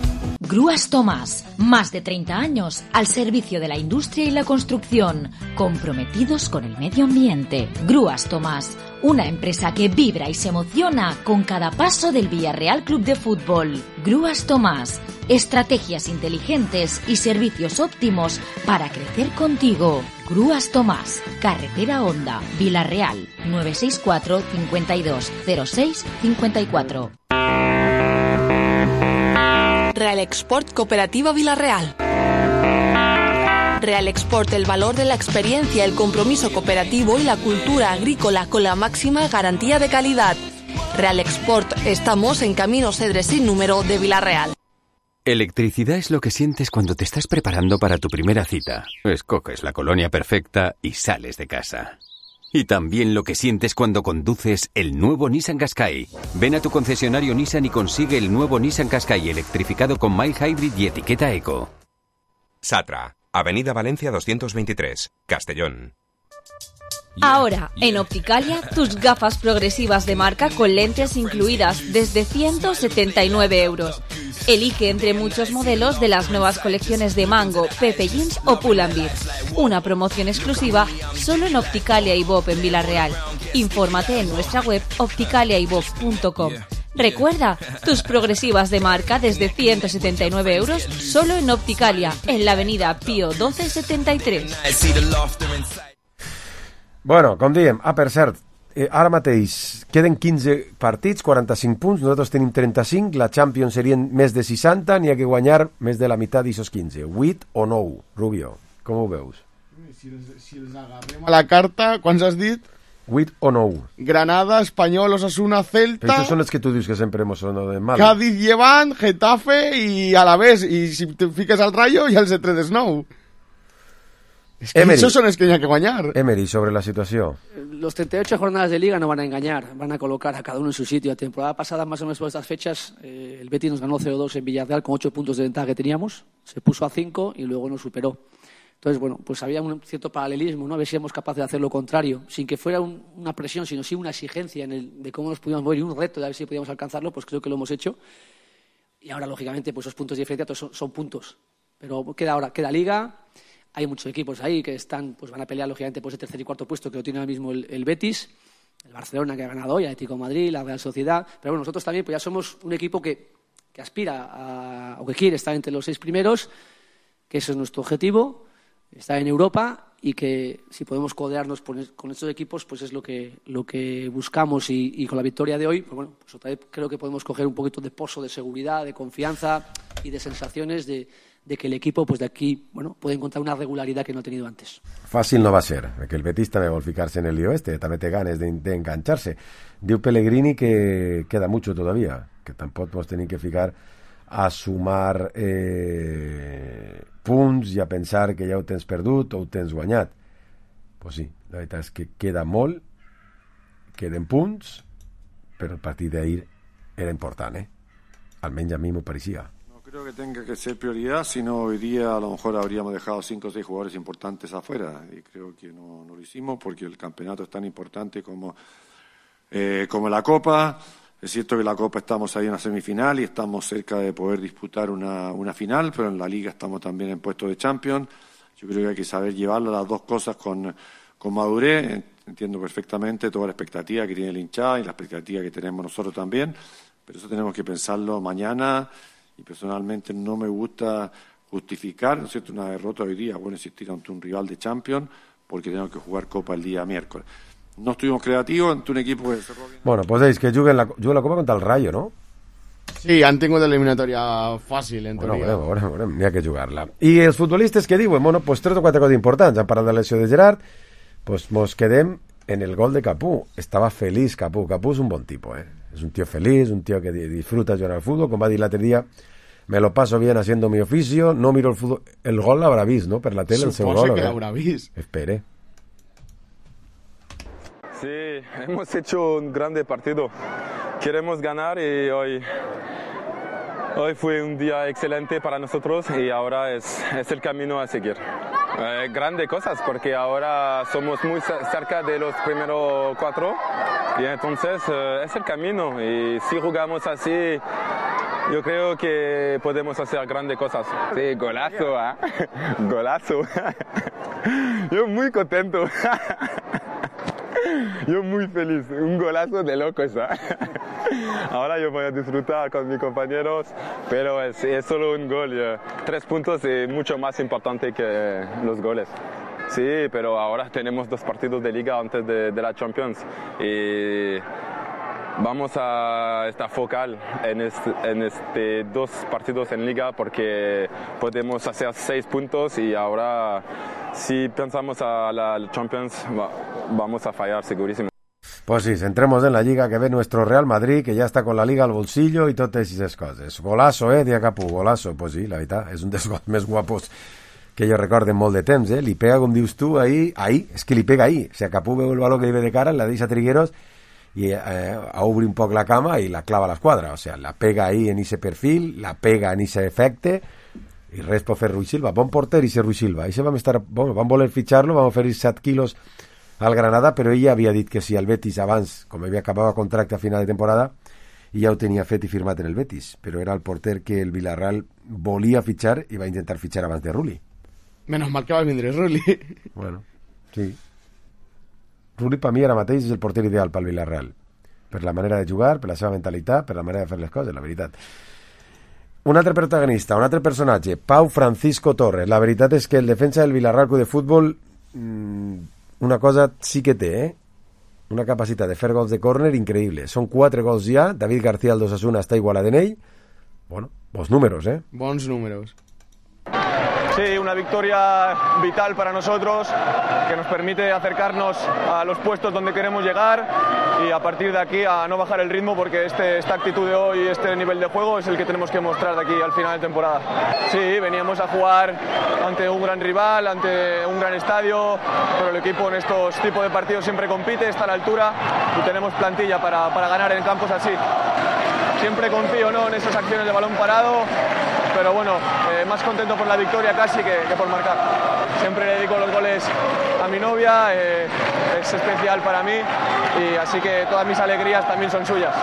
Grúas Tomás, más de 30 años al servicio de la industria y la construcción, comprometidos con el medio ambiente. Grúas Tomás, una empresa que vibra y se emociona con cada paso del Villarreal Club de Fútbol. Grúas Tomás, estrategias inteligentes y servicios óptimos para crecer contigo. Grúas Tomás, Carretera Honda, Villarreal, 964 52 06 54. Real Export Cooperativa Villarreal. Real Export, el valor de la experiencia, el compromiso cooperativo y la cultura agrícola con la máxima garantía de calidad. Real Export, estamos en Camino Cedres sin número de Villarreal. Electricidad es lo que sientes cuando te estás preparando para tu primera cita. Escoges la colonia perfecta y sales de casa. Y también lo que sientes cuando conduces el nuevo Nissan Qashqai. Ven a tu concesionario Nissan y consigue el nuevo Nissan Qashqai electrificado con mild hybrid y etiqueta eco. Satra, Avenida Valencia 223, Castellón. Ahora, en Opticalia, tus gafas progresivas de marca con lentes incluidas desde 179 euros. Elige entre muchos modelos de las nuevas colecciones de Mango, Pepe Jeans o Pull&Bear. Una promoción exclusiva solo en Opticalia y Bob en Villarreal. Infórmate en nuestra web opticaliaybob.com. Recuerda, tus progresivas de marca desde 179 euros solo en Opticalia, en la avenida Pío 1273. Bueno, com diem, per cert, ara mateix queden 15 partits, 45 punts, nosaltres tenim 35, la Champions serien més de 60, n'hi ha que guanyar més de la meitat d'aixòs 15. 8 o 9, Rubio, com ho veus? Si els agarrem a la carta, quants has dit? 8 o 9. Granada, Espanyol, Osasuna, Celta... Però això són els que tu dius que sempre hemos sonado de mal. Cádiz, Levant, Getafe i Alavés, i si te fiques al Rayo ja els he tret 9. Es que esos son los que hay que ganar. Emery, sobre la situación. Los 38 jornadas de Liga no van a engañar, van a colocar a cada uno en su sitio. La temporada pasada, más o menos por estas fechas, el Betis nos ganó 0-2 en Villarreal con 8 puntos de ventaja que teníamos, se puso a 5 y luego nos superó. Entonces, bueno, pues había un cierto paralelismo, ¿no? A ver si éramos capaces de hacer lo contrario, sin que fuera una presión, sino sí una exigencia de cómo nos podíamos mover y un reto de a ver si podíamos alcanzarlo, pues creo que lo hemos hecho. Y ahora, lógicamente, pues esos puntos de diferencia son puntos. Pero queda Liga. Hay muchos equipos ahí que pues van a pelear, lógicamente, por ese tercer y cuarto puesto que lo tiene ahora mismo el Betis, el Barcelona, que ha ganado hoy, el Atlético de Madrid, la Real Sociedad. Pero bueno, nosotros también pues ya somos un equipo que aspira o que quiere estar entre los 6 primeros, que eso es nuestro objetivo, estar en Europa, y que si podemos codearnos con estos equipos, pues es lo que buscamos. Y con la victoria de hoy, pues bueno, pues otra vez creo que podemos coger un poquito de pozo de seguridad, de confianza y de sensaciones de que el equipo pues de aquí puede encontrar una regularidad que no ha tenido antes. Fàcil no va a ser, que el Betis també vol ficar-se en el lío també té ganes de engancharse. Diu Pellegrini que queda mucho todavía, que tampoc ens tenim que ficar a sumar punts i a pensar que ja ho tens perdut o ho tens guanyat. Pues sí, la veritat és que queda molt, queden punts, però el partit d'ahir era important, almenys a mi m'ho pareixia. Creo que tenga que ser prioridad, si no hoy día a lo mejor habríamos dejado 5 o 6 jugadores importantes afuera, y creo que no lo hicimos porque el campeonato es tan importante como la Copa. Es cierto que la Copa estamos ahí en la semifinal y estamos cerca de poder disputar una final, pero en la Liga estamos también en puesto de Champions, Yo creo que hay que saber llevar las dos cosas con madurez. Entiendo perfectamente toda la expectativa que tiene el hinchada y la expectativa que tenemos nosotros también, pero eso tenemos que pensarlo mañana, y personalmente no me gusta justificar, ¿no es cierto?, una derrota hoy día, bueno, existir ante un rival de Champions, porque tenemos que jugar Copa el día miércoles. No estuvimos creativos ante un equipo que cerró bien. Bueno, pues veis que juguen la Copa contra el Rayo, ¿no? Sí, han tingut eliminatòria fàcil, en teoria. Bueno, n'hi ha que jugar-la. I els futbolistes que diuen? Bueno, pues 3 o 4 coses importants. Han parlat de la lesió de Gerard, pues mos quedem en el gol de Capú. Estava feliç Capú. Capú és un bon tipus, És un tío feliz, un tío que disfruta jugar al fútbol. Com va dir l'altre dia, me lo paso bien haciendo mi oficio, no miro el fútbol. El gol l'haurà vist, no?, per la tele, el seu gol. Suposo que l'haurà vist. Espere. Sí, hemos hecho un grande partido. Queremos ganar y hoy fue un día excelente para nosotros y ahora es el camino a seguir. Grandes cosas porque ahora somos muy cerca de los primeros 4 y entonces es el camino, y si jugamos así yo creo que podemos hacer grandes cosas. Sí, golazo, golazo. Yo muy contento. Yo muy feliz, un golazo de locos. Ahora yo voy a disfrutar con mis compañeros, pero es solo un gol. 3 puntos es mucho más importante que los goles. Sí, pero ahora tenemos 2 partidos de liga antes de la Champions y vamos a estar focal en este 2 partidos en liga, porque podemos hacer 6 puntos y ahora si pensamos a la Champions vamos a fallar segurísimo. Pues sí, centremos en la Lliga, que ve nuestro Real Madrid, que ja està con la Liga al bolsillo i totes aquestes coses. Golazo, dia Capú, golazo. Pues sí, la veritat, és un dels gols més guapos que jo recordo en molt de temps, Li pega, com dius tu, ahí, és que li pega ahí. O sea, Capú veu el baló que li ve de cara, la deixa Trigueros i obre un poc la cama i la clava a l'esquadra. O sea, la pega ahí en ese perfil, la pega en ese efecte, i res pot fer Rui Silva. Bon porter, i Rui Silva. Vam voler fitxar-lo, vam oferir 7 quilos al Granada, però ella havia dit que si el Betis abans, com havia acabat contracte a final de temporada, i ja ho tenia fet i firmat en el Betis, però era el porter que el Villarreal volia fitxar i va intentar fitxar abans de Rulli. Menos mal que va vindre Rulli. Bueno, sí. Rulli per mi ara mateix és el porter ideal pel Villarreal, per la manera de jugar, per la seva mentalitat, per la manera de fer les coses, la veritat. Un altre protagonista, un altre personatge, Pau Francisco Torres. La veritat és que el defensa del Villarreal Club de Futbol una cosa sí que té, una capacitat de fer gols de córner increïble. Són 4 gols ja, David García al d'Osasuna està igualat en ell. Bueno, bons números, Bons números. Sí, una victoria vital para nosotros, que nos permite acercarnos a los puestos donde queremos llegar y a partir de aquí a no bajar el ritmo, porque esta actitud de hoy, este nivel de juego es el que tenemos que mostrar de aquí al final de temporada. Sí, veníamos a jugar ante un gran rival, ante un gran estadio, pero el equipo en estos tipos de partidos siempre compite, está a la altura y tenemos plantilla para ganar en campos así. Siempre confío, ¿no?, en esas acciones de balón parado, pero bueno, más contento por la victoria casi que por marcar. Siempre le dedico los goles a mi novia, es especial para mí, y así que todas mis alegrías también son suyas.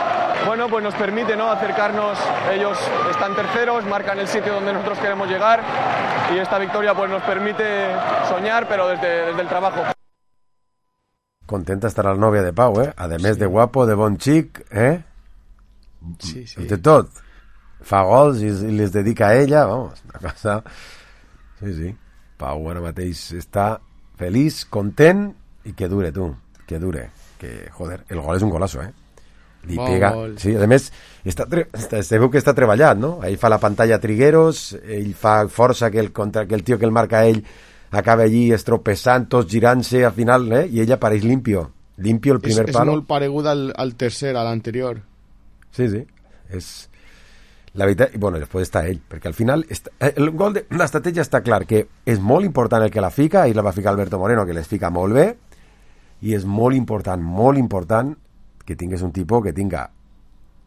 Bueno, pues nos permite, ¿no?, acercarnos. Ellos están terceros, marcan el sitio donde nosotros queremos llegar, y esta victoria pues nos permite soñar, pero desde el trabajo. Contenta estarà la nòvia de Pau, a més de guapo, de bon xic, Sí. De tot. Fa gols i les dedica a ella, vamos, una cosa... Sí. Pau ara mateix està feliç, content, i que dure, tu, que dure. Que, joder, el gol és un golazo, Li pega... Gol. Sí, a més, se veu que està treballat, no? Ell fa la pantalla Trigueros, ell fa força que el tio que el marca a ell acaba allí estropessant, tots girant-se al final, i ella apareix limpio el primer palo. És molt paregut al tercer, a l'anterior. Sí, és la veritat. I bueno, després està ell, perquè al final el gol de l'estratègia està clar, que és molt important el que la fica, i la va ficar Alberto Moreno, que les fica molt bé, i és molt important que tingués un tipus que tinga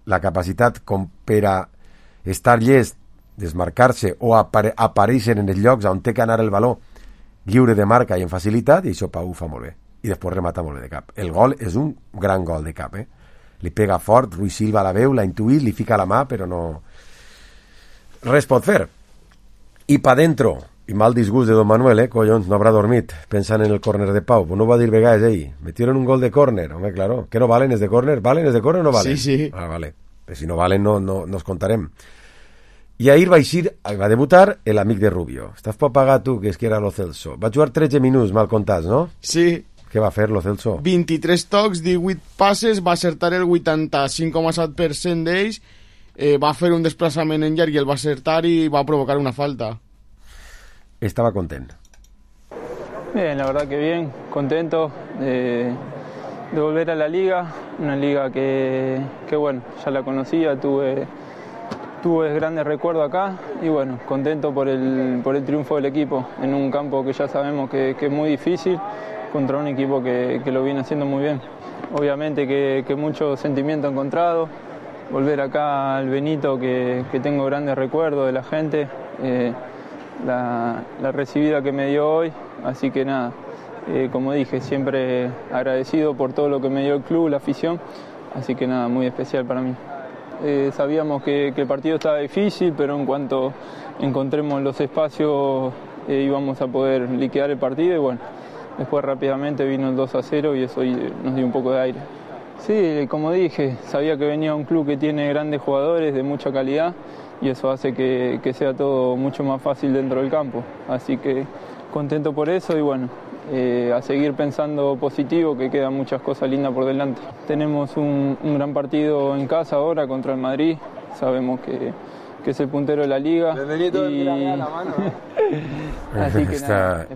la capacitat com per a estar llest, desmarcar-se o aparèixer en els llocs on té que anar el baló lliure de marca i en facilitat, i això Pau ho fa molt bé, i després remata molt bé de cap. El gol és un gran gol de cap, li pega fort, Rui Silva la veu, l'ha intuït, li fica la mà, però no... res pot fer. I pa dentro, Y mal disgust de Don Manuel, collons, no habrá dormit pensant en el córner de Pau. Pues no va a dir vegades ell. Metieron un gol de córner, hombre, claro. ¿Qué no valen es de córner? ¿Valen es de córner o no valen? Sí. Ah, vale. Pues si no valen no nos contarem. I ahir va debutar l'amic de Rubio. Estàs per pagar tu, que és que era lo Celso. Va jugar 13 minuts, mal comptats, no? Sí. Què va fer lo Celso? 23 tocs, 18 passes, va acertar el 85,7% d'ells, va fer un desplaçament en llarg i el va acertar i va provocar una falta. Estaba contento. Bien, la verdad que bien, contento de volver a la liga, una liga que bueno, ya la conocía, tuve grandes recuerdos acá y bueno, contento por el triunfo del equipo en un campo que ya sabemos que es muy difícil contra un equipo que lo viene haciendo muy bien. Obviamente que mucho sentimiento encontrado, volver acá al Benito que tengo grandes recuerdos de la gente, la recibida que me dio hoy, así que nada, como dije, siempre agradecido por todo lo que me dio el club, la afición, así que nada, muy especial para mí. Sabíamos que el partido estaba difícil, pero en cuanto encontremos los espacios íbamos a poder liquidar el partido y bueno, después rápidamente vino el 2-0 y eso nos dio un poco de aire. Sí, como dije, sabía que venía un club que tiene grandes jugadores de mucha calidad y eso hace que sea todo mucho más fácil dentro del campo, así que contento por eso y bueno, a seguir pensando positivo, que quedan muchas cosas lindas por delante. Tenemos un gran partido en casa ahora contra el Madrid, sabemos que es el puntero de la liga. Así que nada.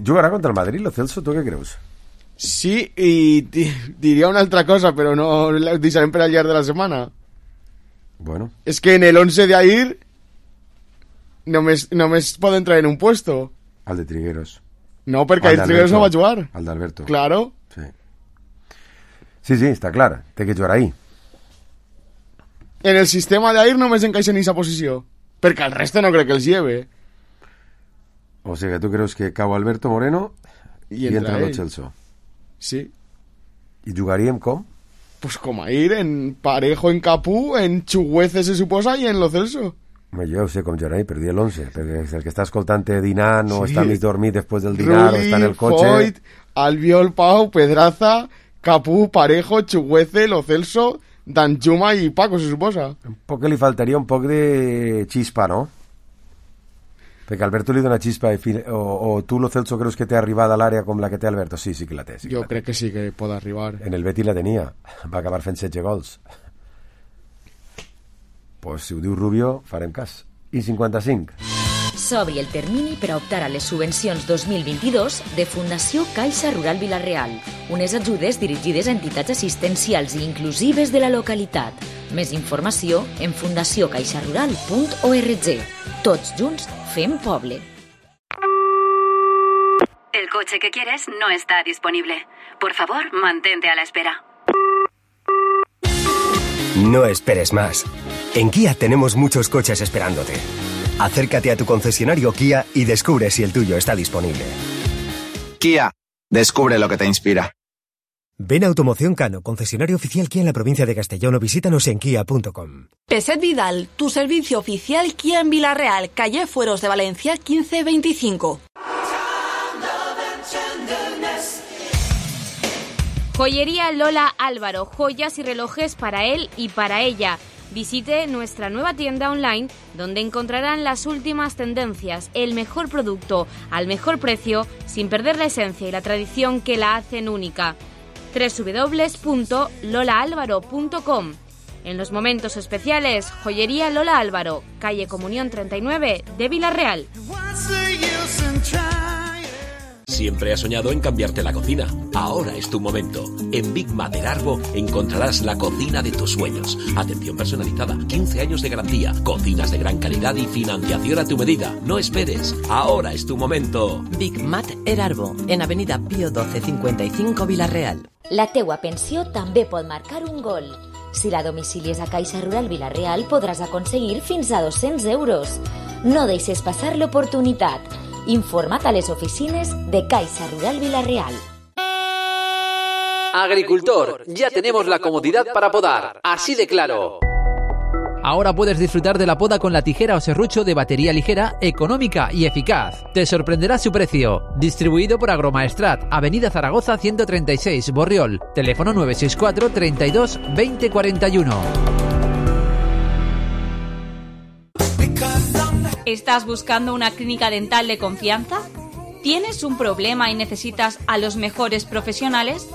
¿Jugará contra el Madrid, lo Celso? ¿Tú qué crees? Sí, y diria una altra cosa, però no la deixarem per al llarg de la setmana. Bueno. És que en el 11 d'ahir només poden traer un puesto. Al de Trigueros. No, perquè el Trigueros no va jugar. Al d'Alberto. Claro. Sí, està clar. Té que jugar ahí. En el sistema d'ahir només encaixa en aquesta posició. Perquè el resto no crec que els lleve. O sigui que tu creus que cau Alberto Moreno i entra el Celso. Sí. I jugaríem com? Pues com ahir, en Parejo, en Capú, en Chuguece se suposa i en Lo Celso. Jo ho sé com jugar ahí, però di l'11, perquè el que està escoltant dinant o està mig dormit després del dinar o està en el cotxe... Foyt, Albiol, Pau, Pedraza, Capú, Parejo, Chuguece, Lo Celso, Danjuma i Paco, se suposa. Un poc que li faltaria un poc de xispa, no? Perquè Alberto li dona xispa o tu, Lo Celso, creus que té arribada a l'àrea com la que té Alberto? Sí que la té. Jo crec que sí que pot arribar. En el Betis la tenia. Va acabar fent 16 gols. Pues si ho diu Rubio, farem cas. I 55. S'obri el termini per a optar a les subvencions 2022 de Fundació Caixa Rural Vila-real, unes ajudes dirigides a entitats assistencials i inclusives de la localitat. Més informació en fundaciocaixarural.org. Tots junts fem poble. El coche que quieres no está disponible. Por favor, mantente a la espera. No esperes más. En Kia tenemos muchos coches esperándote. Acércate a tu concesionario Kia y descubre si el tuyo está disponible. Kia, descubre lo que te inspira. Ven a Automoción Cano, concesionario oficial Kia en la provincia de Castellón o visítanos en kia.com. Peset Vidal, tu servicio oficial Kia en Vila-real, calle Fueros de Valencia 1525. Joyería Lola Álvaro, joyas y relojes para él y para ella. Visite nuestra nueva tienda online donde encontrarán las últimas tendencias, el mejor producto al mejor precio sin perder la esencia y la tradición que la hacen única. www.lolaalvaro.com. En los momentos especiales, Joyería Lola Álvaro, calle Comunión 39 de Vila-real. Siempre has soñado en cambiarte la cocina. Ahora es tu momento. En Big Mat Erarbo encontrarás la cocina de tus sueños. Atención personalizada, 15 años de garantía, cocinas de gran calidad y financiación a tu medida. No esperes. Ahora es tu momento. Big Mat Erarbo, en Avenida Pío 12 55 Vila-real. La teua pensió també pot marcar un gol. Si la domicilies a Caixa Rural Vila-real podràs aconseguir fins a 200 euros. No deixes passar l'oportunitat. Informa't a les oficines de Caixa Rural Vila-real. Agricultor, ya tenemos la comodidad para podar, así de claro. Ahora puedes disfrutar de la poda con la tijera o serrucho de batería ligera, económica y eficaz. Te sorprenderá su precio. Distribuido por Agromaestrat, Avenida Zaragoza 136, Borriol. Teléfono 964 32 20 41. ¿Estás buscando una clínica dental de confianza? ¿Tienes un problema y necesitas a los mejores profesionales?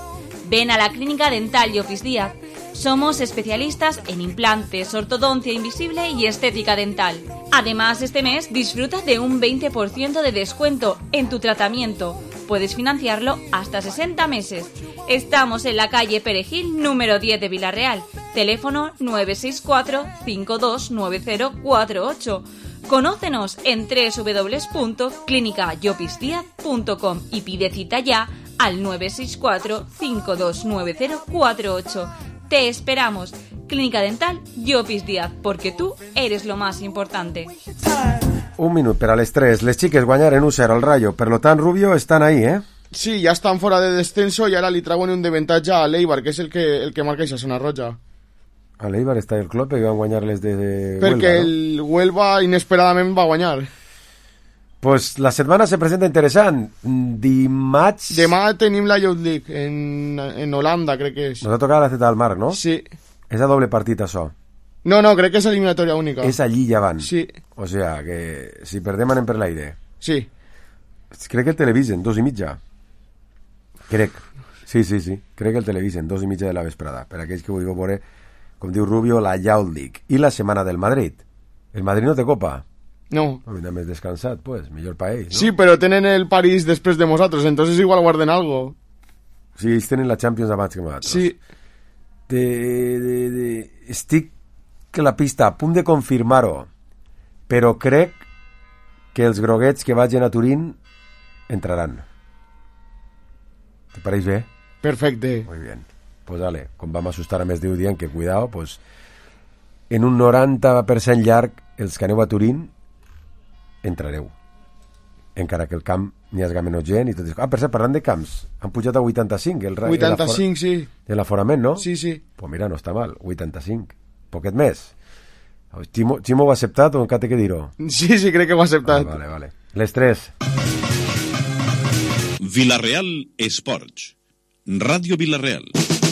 Ven a la Clínica Dental Llopis Díaz. Somos especialistas en implantes, ortodoncia invisible y estética dental. Además, este mes disfruta de un 20% de descuento en tu tratamiento. Puedes financiarlo hasta 60 meses. Estamos en la calle Perejil, número 10 de Vilarreal. Teléfono 964 529048. Conócenos en www.clinicayopisdiaz.com y pide cita ya al 964 529048. Te esperamos. Clínica Dental Llopis Díaz, porque tú eres lo más importante. Un minut per a les 3. Les xiques guanyaren 1-0 al Rayo. Per lo tant, Rubio, estan ahí, ¿eh? Sí, ya están fuera de descenso y ahora li trauen un deventatge a l'Eibar, que és el que marca esa zona roja. A l'Eibar està el club que van guanyar-les de Perquè Huelva, no? el Huelva inesperadament va guanyar. Pues la setmana se presenta interessant. Dimarts... Demà tenim la Youth League en Holanda, crec que és. Nos ha tocat la Zeta del Mar, no? Sí. És a doble partit, això. No, crec que és eliminatòria única. És allí i avant. Sí. O sea, que si perdem anem per l'aire. Sí. Crec que el televisen, 2:30. Crec. Sí. Crec que el televisen, 2:30 de la vesprada. Per aquells que vulgueu veure, com diu Rubio, la Youth League. I la setmana del Madrid. El Madrid no té copa. No. Mira, més descansat, pues, millor pa ells, no? Sí, però tenen el París després de nosaltres, entonces igual guarden algo. Sí, ells tenen la Champions abans que nosaltres. Sí. Estic a la pista a punt de confirmar-ho, però crec que els groguets que vagin a Turín entraran. ¿Te pareix bé? Perfecte. Muy bien. Pues dale, com vam assustar a més Déu dient que cuidao, pues en un 90% llarg els que aneu a Turín entrareu. Encara que el camp n'hi hagi menys gent i tot això. Per cert, parlant de camps, han pujat a 85 el 85, sí. De l'aforament, no? Sí. Pues mira, no està mal, 85. Poquet més. Ximo ho ha acceptat o encara té que dir-ho? Sí, crec que ho ha acceptat. Vale. Les 3. Vilareal Esports. Ràdio Vilareal.